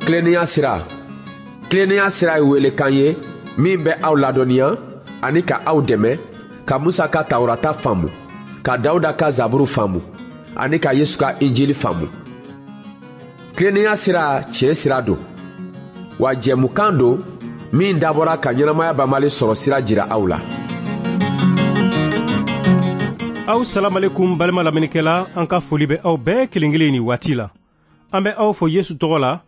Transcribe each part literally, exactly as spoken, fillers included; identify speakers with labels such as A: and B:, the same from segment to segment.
A: Tilennenya sira. Tilennenya sira ye welekan ye min bɛ aw ladɔnniya ani ka aw dɛmɛ ka Musa ka Tawurata faamu, ka Dawuda ka Zaburu faamu ani ka Yesu ka Injili faamu. Tilennenya sira tiɲɛ sira don, wa jɛmukan don min dabɔra ka ɲɛnamaya banbali sɔrɔ sira jira aw la.
B: Aw salamalekum balima lamɛnnikɛla, an ka foli bɛ aw bɛɛ kelen kelen ni waati la. An bɛ aw fo Yesu tɔgɔ la.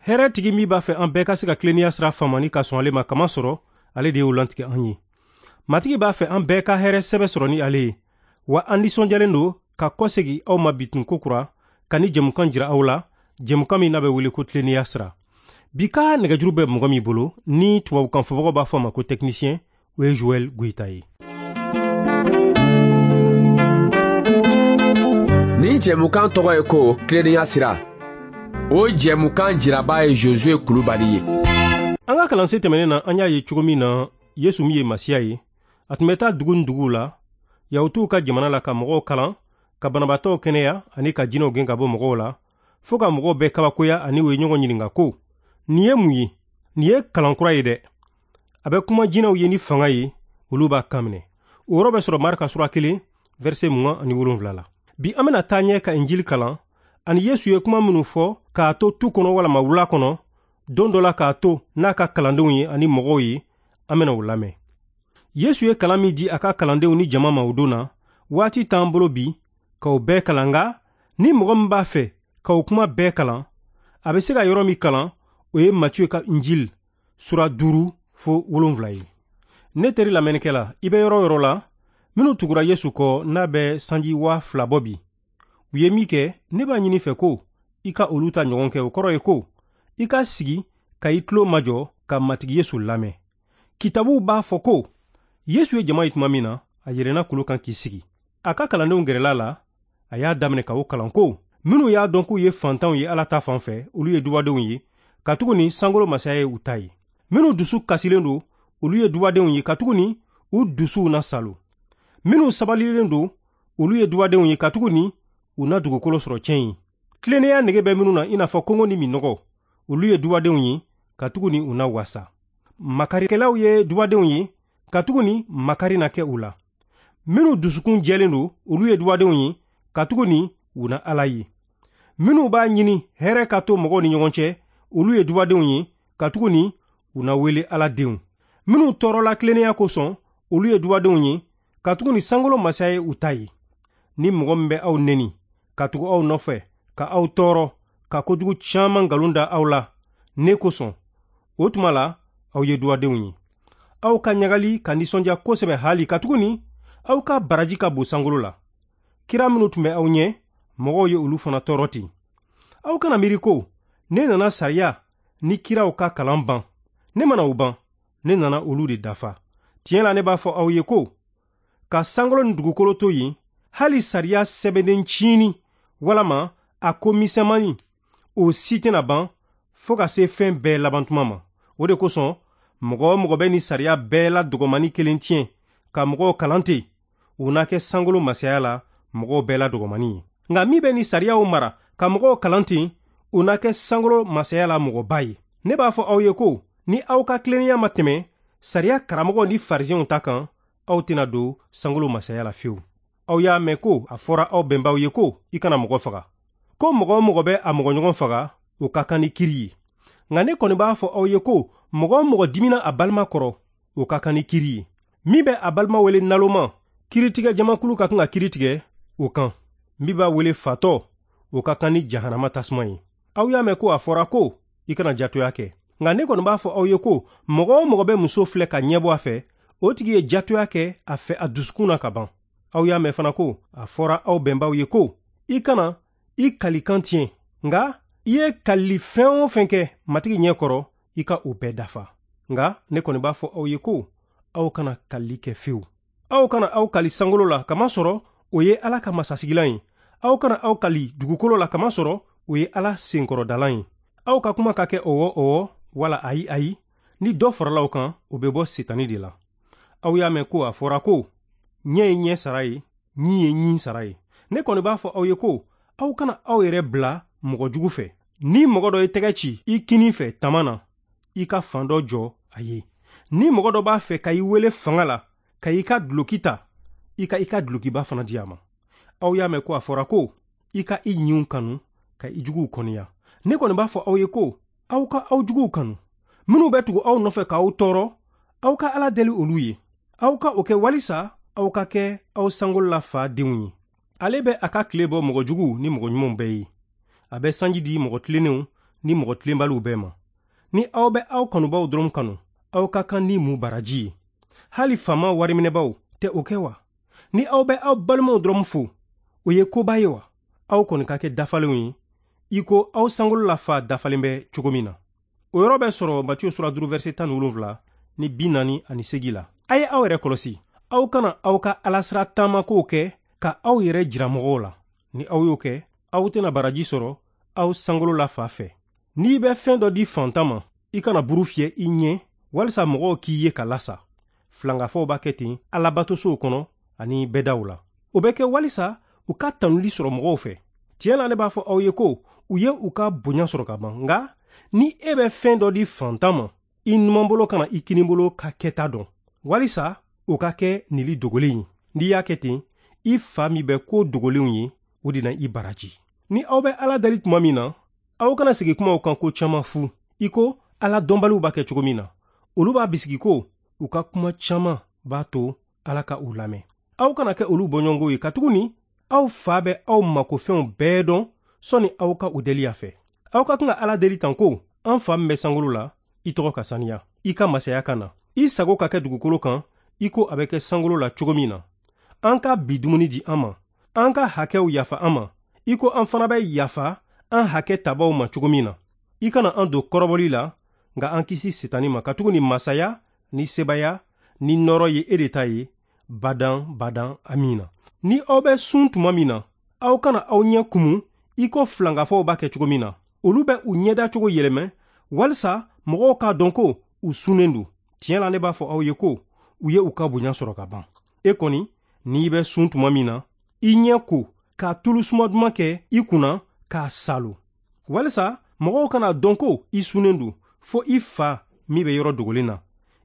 B: Hɛrɛ tigi min b'a fɛ an bɛɛ ka se ka tilennenya sira faamu ni ka sɔn ale ma, kama sɔrɔ ale de y'o lantigɛ an ye. Matigi b'a fɛ an bɛɛ ka hɛrɛ sɛbɛ sɔrɔ ni ale ye, wa an nisɔndiyalen don ka kɔsegi aw ma bitun ko kura ka ni jɛmukan jira aw la, jɛmukan min n'a bɛ wele ko tilennenya sira. Bi ka nɛgɛjuru bɛ mɔgɔ min bolo ni tubabukan fɔbagaw b'a fɔ a ma ko technicien, o ye Joël Goïta ye.
A: Nin jɛmukan tɔgɔ ye ko tilennenya sira. O jɛmukan jiraba ye Josué Kulubali ye.
B: An ka kalansen tɛmɛnen na, an y'a ye cogo min na Yesu min ye Masiya ye, a tun bɛ taa dugu ni duguw la, Yahutuw ka jamana la, ka mɔgɔw kalan, ka banabaatɔw kɛnɛya ani ka jinɛw gɛn ka bɔ mɔgɔw la, fo ka mɔgɔw bɛɛ kabakoya ani u ye ɲɔgɔn ɲininka ko nin ye mun ye? Nin ye kalan kura ye dɛ. A bɛ kuma jinɛw ye ni fanga ye, olu b'a kan minɛ. O yɔrɔ bɛ sɔrɔ Marika sura kelen, verset mugan ani wolonwula la. Bi an bɛna taa ɲɛ ka Injili kalan ani Yesu ye kuma minnu fɔ k'a to tu kɔnɔ walama wula kɔnɔ, don dɔ la k'a to n'a ka kalandenw ye ani mɔgɔw ye, an bɛna o lamɛn. Yesu ye kalan min di a ka kalandenw ni jama ma o don na, waati t'an bolo bi k'o bɛɛ kalan, nka ni mɔgɔ min b'a fɛ k'o kuma bɛɛ kalan, a bɛ se ka yɔrɔ min kalan, o ye Matiyu ka Injili sura duuru fo wolonwula ye. Ne teri lamɛnnikɛla, i bɛ yɔrɔ o yɔrɔ la, minnu tugura Yesu kɔ n'a bɛ sanji waa fila bɔ bi, u ye min kɛ, ne b'a ɲini fɛ ko i ka olu ta ɲɔgɔn kɛ. O kɔrɔ ye ko i ka sigi ka i tulo majɔ ka Matigi Yesu lamɛn. Kitabuw b'a fɔ ko Yesu ye jama ye tuma min na, a yɛlɛnna kulu kan k'i sigi. A ka kalandenw gɛrɛla la, a y'a daminɛ ka o kalan ko minnu y'a dɔn k'u ye fantanw ye Ala ta fan fɛ, olu ye dubadenw ye, katuguni sankolo masaya ye u ta ye. Minnu dusu kasilen don, olu ye dubadenw ye, katuguni u dusuw na salo. Minnu sabalilen don, olu ye dubadenw ye, katuguni u na dugukolo sɔrɔ tiɲɛ ye. Tilennenya nege bɛ minnu na i n'a fɔ kɔngɔ ni minɔgɔ, olu ye dubadenw ye, katuguni u na wasa. Makarikɛlaw ye dubadenw ye, katuguni makari na kɛ u la. Minnu dusukun jɛlen don, olu ye dubadenw ye, katuguni u na Ala ye. Minnu b'a ɲini hɛrɛ ka to mɔgɔw ni ɲɔgɔn cɛ, olu ye dubadenw ye, katuguni u na wele Ala denw. Minnu tɔɔrɔla tilennenya kosɔn, olu ye dubadenw ye, katuguni sankolo masaya ye u ta ye. Ni mɔgɔ min bɛ aw neni, ka tugu aw nɔfɛ, ka aw tɔɔrɔ, ka kojugu caman nkalon da aw la ne kosɔn, o tuma la aw ye dubadenw ye. Aw ka ɲagali ka nisɔndiya kosɛbɛ hali, katuguni aw ka baraji ka bon sankolo la. Kira minnu tun bɛ aw ɲɛ, mɔgɔw ye olu fana tɔɔrɔ ten. Aw kana miiri ko ne nana sariya ni kiraw ka kalan ban. Ne mana o ban, ne nana olu de dafa. Tiɲɛ la, ne b'a fɔ aw ye ko ka sankolo ni dugukolo to yen, hali sariya sɛbɛnnen ciini walama a ko misɛnmanin, o si tɛna ban fo ka se fɛn bɛɛ labantuma ma. O de kosɔn mɔgɔ o mɔgɔ bɛ ni sariya bɛɛ la dɔgɔmani kelen tiɲɛ ka mɔgɔw kalan ten, o na kɛ sankolo masaya la mɔgɔw bɛɛ la dɔgɔmani ye. Nka min bɛ ni sariyaw mara ka mɔgɔw kalan ten, o na kɛ sankolo masaya la mɔgɔba ye. Ne b'a fɔ aw ye ko ni aw ka tilennenya ma tɛmɛ sariya karamɔgɔw ni farisɛnw ta kan, aw tɛna don sankolo masaya la fiyewu. Aw y'a mɛn ko a fɔra aw bɛnbaw ye ko i kana mɔgɔ faga, ko mɔgɔ o mɔgɔ bɛ a mɔgɔɲɔgɔn faga, o ka kan ni kiri ye. Nka ne kɔni b'a fɔ aw ye ko mɔgɔ o mɔgɔ dimina a balima kɔrɔ, o ka kan ni kiri ye. Min bɛ a balima wele naloma, kiritigɛ jamakulu ka kan ka kiri tigɛ o kan. Min b'a wele fatɔ, o ka kan ni jahanama tasuma ye. Aw y'a mɛn ko a fɔra ko i kana jatoya kɛ. Nka ne kɔni b'a fɔ aw ye ko mɔgɔ o mɔgɔ bɛ muso filɛ ka ɲɛbɔ a fɛ, o tigi ye jatoya kɛ a fɛ a dusukun na ka ban. Aw y'a mɛn fana ko a fɔra aw bɛnbaw ye ko i kana i kalikan tiɲɛ, nka i ye kalili fɛn o fɛn kɛ Matigi ɲɛ kɔrɔ, i ka o bɛɛ dafa. Nka ne kɔni b'a fɔ aw ye ko aw kana kalili kɛ fewu. Aw kana aw kali sankolo la, kamasɔrɔ o ye Ala ka masasigilan ye. Aw kana aw kali dugukolo la, kamasɔrɔ o ye Ala senkɔrɔdalan ye. Aw ka kuma ka kɛ ɔwɔ ɔwɔ wala ayi ayi. Ni dɔ farala o kan, o bɛ bɔ Setani de la. Aw y'a mɛn ko a fɔra ko ɲɛ ye ɲɛ sara ye, ɲin ye ɲin sara ye. Ne kɔni b'a fɔ aw ye ko aw kana aw yɛrɛ bila mɔgɔ jugu fɛ. Ni mɔgɔ dɔ ye tɛgɛ ci i kinin fɛ tama na, i ka fan dɔ jɔ a ye. Ni mɔgɔ dɔ b'a fɛ ka i wele fanga la ka i ka duloki ta, i ka i ka dulokiba fana di a ma. Aw y'a mɛn ko a fɔra ko i ka i ɲinw kanu ka i juguw kɔniya. Ne kɔni b'a fɔ aw ye ko aw ka aw juguw kanu. Minnu bɛ tugu aw nɔfɛ k'aw tɔɔrɔ, aw ka Ala deli olu ye. Aw ka o kɛ walisa aw ka kɛ aw sankolola fa denw ye. Ale bɛ a ka tile bɔ mɔgɔ juguw ni mɔgɔ ɲumanw bɛɛ ye. A bɛ sanji di mɔgɔ tilennenw ni mɔgɔ tilenbaliw bɛɛ ma. Ni aw bɛ aw kanubaw dɔrɔn kanu, aw ka kan ni mun baraji ye? Hali faama wariminɛbaw tɛ o kɛ wa? Ni aw bɛ aw balimaw dɔrɔn fo, o ye koba ye wa? Aw kɔni ka kɛ dafalenw ye, i ko aw sankolola fa dafalen bɛ cogo min na. O yɔrɔ bɛ sɔrɔ Matiyu sura duuru verset tan ni wolonwula ni bi naani ani seegin la. A ye aw yɛrɛ kɔlɔsi, aw kana aw ka alasira taamakow kɛ ka aw yɛrɛ jira mɔgɔw la. Ni aw y'o kɛ, aw tɛna baraji sɔrɔ aw sankolola fa fɛ. N'i bɛ fɛn dɔ di fantan ma, i kana buru fiyɛ i ɲɛ walisa mɔgɔw k'i ye ka lasa. Filankafow b'a kɛ ten alabatosow kɔnɔ ani bɛdaw la. O bɛ kɛ walisa u ka tanuli sɔrɔ mɔgɔw fɛ. Tiɲɛ la, ne b'a fɔ aw ye ko u ye u ka bonya sɔrɔ ka ban. Nka ni e bɛ fɛn dɔ di fantan ma, i numanbolo kana i kinibolo ka kɛta dɔn, walisa o ka kɛ nili dogolen ye. N'i y'a kɛ ten, i fa min bɛ ko dogolenw ye, o de na i baraji. Ni aw bɛ Ala deli tuma min na, aw kana sigi kumaw kan ko caman fu, i ko Ala dɔnbaliw b'a kɛ cogo min na. Olu b'a bisigi ko u ka kuma caman b'a to Ala ka u lamɛn. Aw kana kɛ olu bɔɲɔgɔnko ye, katuguni aw fa bɛ aw makofɛnw bɛɛ dɔn sɔnni aw ka u deli a fɛ. Aw ka kan ka Ala deli tan ko: an fa min bɛ sankolo la, i tɔgɔ ka saniya, i ka masaya ka na, i sago ka kɛ dugukolo kan i ko a bɛ kɛ sankolo la cogo min na. An ka bi dumuni di an ma, an ka hakɛw yafa an ma, i ko an fana bɛ yafa an hakɛ tabaw ma cogo min na. I kana an don kɔrɔbɔli la, nka an kisi Setani ma, katuguni masaya ni sebaya ni nɔɔrɔ ye e de ta ye, badan badan, amina. Ni aw bɛ sun tuma min na, aw kana aw ɲɛ kumu i ko filankafow b'a kɛ cogo min na. Olu bɛ u ɲɛda cogo yɛlɛmɛ walisa mɔgɔw k'a dɔn ko u sunnen don. Tiɲɛ la, ne b'a fɔ aw ye ko u ye u ka bonya sɔrɔ ka ban. E kɔni, n'i bɛ sun tuma min na, i ɲɛ ko ka tulu suma duman kɛ i kunna k'a salo, walisa mɔgɔw kana dɔn ko i sunnen don, fo i fa min bɛ yɔrɔ dogolen na.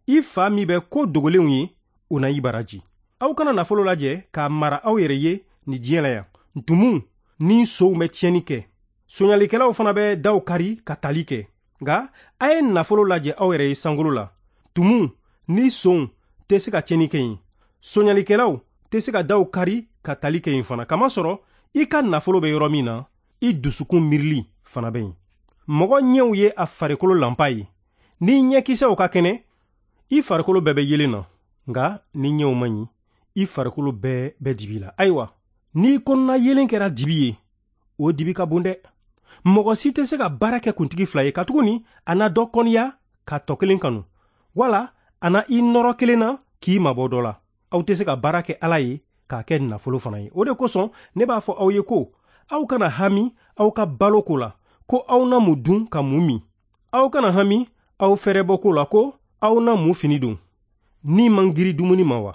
B: I fa min bɛ ko dogolenw ye, o na i baraji. Aw kana nafolo lajɛ k'a mara aw yɛrɛ ye nin diɲɛ la yan. Ntumuw ni sow bɛ tiɲɛni kɛ, soɲalikɛlaw fana bɛ daw kari ka tali kɛ. Nka a ye nafolo lajɛ aw yɛrɛ ye sankolo la. Tumuw ni sonw tɛ se ka tiɲɛni kɛ yen, soɲalikɛlaw tɛ se ka daw kari ka tali kɛ yen fana. Kamasɔrɔ i ka nafolo bɛ yɔrɔ min na, i dusukun miirili fana bɛ yen. Mɔgɔ ɲɛw ye a farikolo lanpa ye. Ni ɲɛkisɛw ka kɛnɛ, i farikolo bɛɛ bɛ yelen na. Nka ni ɲɛw man ɲi, i farikolo bɛɛ bɛ dibi la. Ayiwa, n'i kɔnɔna yelen kɛra dibi ye, o dibi ka bon dɛ. Mɔgɔ si tɛ se ka baara kɛ kuntigi fila ye, katuguni a na dɔ kɔniya ka tɔ kelen kanu, wala a na i nɔrɔ kelen na k'i mabɔ dɔ la. Aw tɛ se ka baara kɛ Ala ye k'a kɛ nafolo fana ye. O de kosɔn ne b'a fɔ aw ye ko aw kana hami aw ka balo ko la, ko aw na mun dun ka mun min. Aw kana hami aw fɛrɛbɔ ko la, ko aw na mun fini don. Ni man giri dumuni ma wa?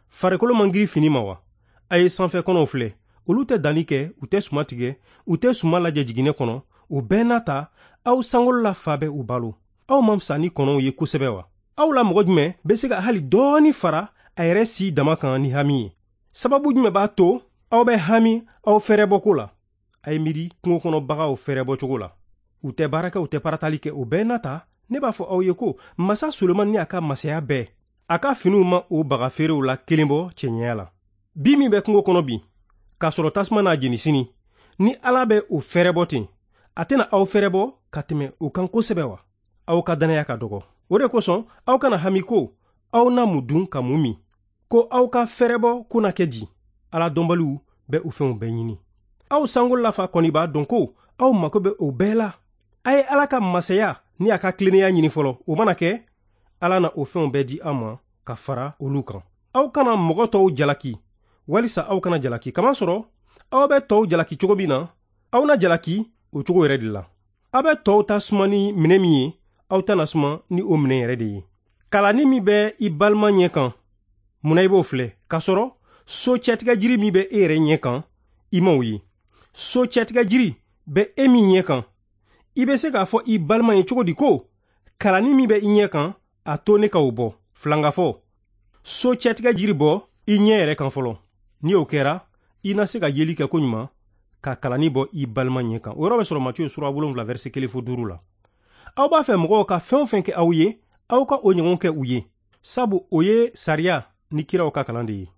B: Farikolo man giri fini ma wa? A ye sanfɛ kɔnɔw filɛ, olu tɛ danni kɛ, u tɛ suma tigɛ, u tɛ suma lajɛ jiginɛ kɔnɔ. O bɛɛ n'a ta, aw sankolola fa bɛ u balo. Aw man fisa ni kɔnɔw ye kosɛbɛ wa? Aw la mɔgɔ jumɛn bɛ se ka hali dɔɔni fara a yɛrɛ si dama kan ni hami ye? Sababu jumɛn b'a to aw bɛ hami aw fɛrɛbɔko la? A ye miiri kungo kɔnɔ bagaw fɛrɛbɔ cogo la. U tɛ baara kɛ, u tɛ paratali kɛ. O bɛɛ n'a ta, ne b'a fɔ aw ye ko masa Solomani ni a ka masaya bɛɛ, a ka finiw ma o baga feerew la kelen bɔ cɛɲɛya la. Bi min bɛ kungo kɔnɔ bi, k'a sɔrɔ tasuma n'a jeni sini, ni Ala bɛ o fɛrɛbɔ ten, a tɛna aw fɛrɛbɔ ka tɛmɛ o kan kosɛbɛ wa? Aw ka dannaya ka dɔgɔ. O de kosɔn aw kana hami ko aw na mun dun ka mun min, ko aw ka fɛrɛbɔ ko na kɛ di. Ala dɔnbaliw bɛ o fɛnw bɛɛ ɲini. Aw sankolola fa kɔni b'a dɔn ko aw mako bɛ o bɛɛ la. A ye Ala ka masaya ni a ka tilennenya ɲini fɔlɔ. O mana kɛ, Ala na o fɛnw bɛɛ di aw ma ka fara olu kan. Aw kana mɔgɔ tɔw jalaki, walisa aw kana jalaki. Kamasɔrɔ aw bɛ tɔw jalaki cogo min na, aw na jalaki o cogo yɛrɛ de la. Aw bɛ tɔw ta suma ni minɛ min ye, aw ta na suma ni o minɛ yɛrɛ de ye. Kalanni min bɛ i balima ɲɛ kan, munna i b'o filɛ? K'a sɔrɔ so cɛtigɛ jiri min bɛ e yɛrɛ ɲɛ kan, i m'o ye. So cɛtigɛ jiri bɛ e min ɲɛ kan, I bɛ se k'a fɔ i balima ye cogo di ko kalanni min bɛ i ɲɛ kan, a to ne ka o bɔ. Filangafɔ, so cɛtigɛ jiri bɔ i ɲɛ yɛrɛ kan fɔlɔ. Ni o kɛra, i na se ka yeli kɛ koɲuman ka kalanni bɔ i balima ɲɛ kan. O yɔrɔ bɛ sɔrɔ Matiyu sura wolonwula verset kelen fo duuru la. Aw b'a fɛ mɔgɔw ka fɛn o fɛn kɛ aw ye, aw ka o ɲɔgɔn kɛ u ye, sabu o ye sariya ni kiraw ka kalan de ye.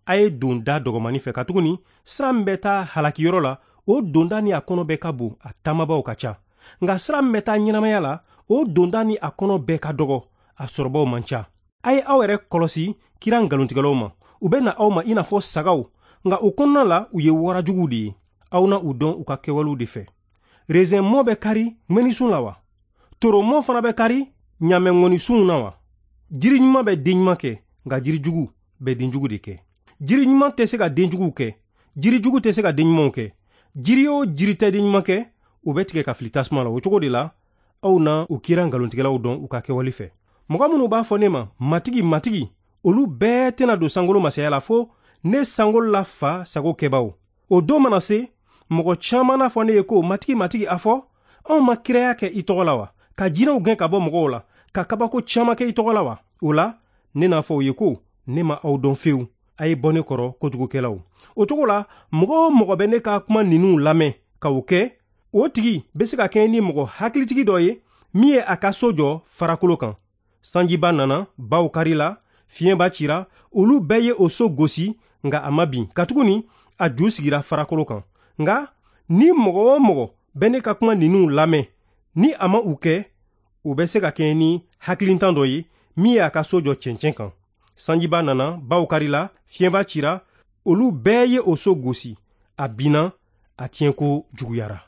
B: A ye don da dɔgɔmani fɛ, katuguni sira min bɛ taa halakiyɔrɔ la, o donda ni a kɔnɔ bɛɛ ka bon, a taamabaw ka ca. Nka sira min bɛ taa ɲɛnamaya la, o donda ni a kɔnɔ bɛɛ ka dɔgɔ, a sɔrɔbaw man ca. A ye aw yɛrɛ kɔlɔsi kira nkalontigɛlaw ma. U bɛ na aw ma i n'a fɔ sagaw, nka o kɔnɔna la u ye warajuguw de ye. Aw na u dɔn u ka kɛwalew de fɛ. Rezɛn mɔ bɛ kari ŋɛnisun la wa? Toromɔ fana bɛ kari ɲamɛŋɔnisunw na wa? Jiri ɲuman bɛ den ɲuman kɛ, nka jiri jugu bɛ den jugu de kɛ. Jiri ɲuman tɛ se ka den juguw kɛ, jiri jugu tɛ se ka den ɲumanw kɛ. Jiri o jiri tɛ den ɲuman kɛ, o bɛ tigɛ ka fili tasuma la. O cogo de la, aw na u kira nkalontigɛlaw dɔn u ka kɛwale fɛ. Mɔgɔ minnu b'a fɔ ne ma Matigi, Matigi, olu bɛɛ tɛna don sankolo masaya la, fo ne sankolo la fa sago kɛbaw. O don mana se, mɔgɔ caman n'a fɔ ne ye ko Matigi, Matigi, a fɔ anw ma kiraya kɛ i tɔgɔ la wa? Ka jinɛw gɛn ka bɔ mɔgɔw la, ka kabako caman kɛ i tɔgɔ la wa? O la, ne n'a fɔ u ye ko ne ma aw dɔn fewu. A ye bɔ ne kɔrɔ, kojugukɛlaw. O cogo la, mɔgɔ o mɔgɔ bɛ ne ka kuma ninnu lamɛn ka o kɛ, o tigi bɛ se ka kɛ ni mɔgɔ hakilitigi dɔ ye min ye a ka so jɔ farakolo kan. Sanjiba nana, baw karila, fiɲɛba cira, olu bɛɛ ye o so gosi, nka a ma bin, katuguni a ju sigira farakolo kan. Nka ni mɔgɔ o mɔgɔ bɛ ne ka kuma ninnu lamɛn, ni a ma u kɛ, o bɛ se ka kɛ ni hakilintan dɔ ye min ye a ka so jɔ cɛncɛn kan. Sanjiba nana, baw karila, fiɲɛba cira, olu bɛɛ ye o so gosi, a binna, a tiɲɛko juguyara.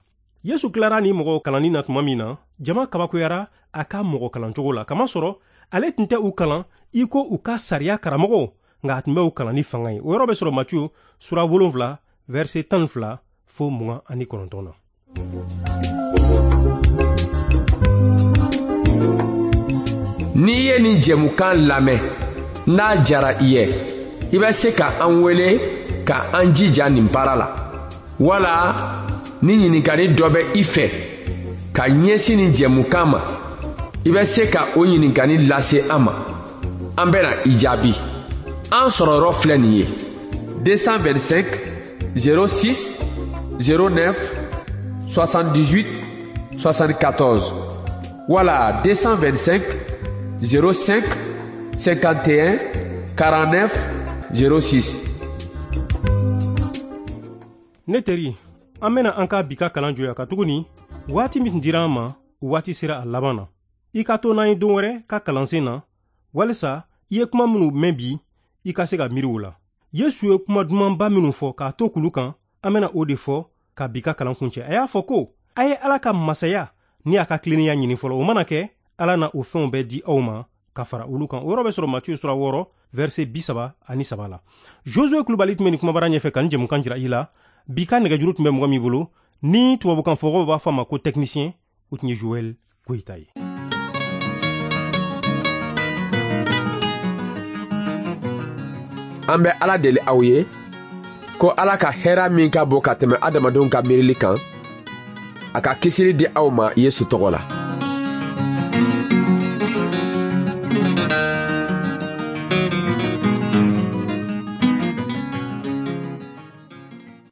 B: Yesu tilara ni mɔgɔw kalanni na tuma min na, jama kabakoyara a ka mɔgɔ kalancogo la, kamasɔrɔ ale tun tɛ u kalan i ko u ka sariya karamɔgɔw, nka a tun bɛ u kalan ni fanga ye. O yɔrɔ bɛ sɔrɔ Matiyu sura wolonwula verset tan ni fila fo mugan ani kɔnɔntɔn na.
A: N'i ye nin jɛmukan lamɛn, n'a jara i ye, i bɛ se ka an wele ka an jija nin baara la, wala ni ɲininkali dɔ bɛ i fɛ ka ɲɛsin nin jɛmukan ma, i bɛ se ka o ɲininkali lase an ma. An bɛna i jaabi. An sɔrɔyɔrɔ filɛ nin ye: deux cent vingt-cinq zéro six zéro neuf soixante-dix-huit soixante-quatorze wala deux cent vingt-cinq zéro cinq cinquante et un quarante-neuf zéro six.
B: Ne teri, an bɛna an ka bi ka kalan jɔya, katuguni waati min tun dira an ma, waati sera a laban na. I ka to n'an ye don wɛrɛ ka kalansen na, walisa i ye kuma minnu mɛn bi, i ka se ka miiri o la. Yesu ye kuma dumanba minnu fɔ k'a to kulu kan, an bɛna o de fɔ ka bi ka kalan kuncɛ. A y'a fɔ ko a ye Ala ka masaya ni a ka tilennenya ɲini fɔlɔ, o mana kɛ, Ala na o fɛnw bɛɛ di aw ma ka fara olu kan. O yɔrɔ bɛ sɔrɔ Matiyu sura wɔɔrɔ verset bi saba ani saba la. Josue Kulubali tun bɛ nin kumabara ɲɛfɛ ka nin jɛmukan jira i la. Bi ka nɛgɛjuru tun bɛ mɔgɔ min bolo, ni tubabukan fɔmɔgɔw b'a fɔ a ma ko technicien, o tun ye Joël Goyita ye.
A: An bɛ Ala deli aw ye ko Ala ka hɛrɛ min ka bon ka tɛmɛ adamadenw ka miirili kan, a ka kisili di aw ma Yesu tɔgɔ la.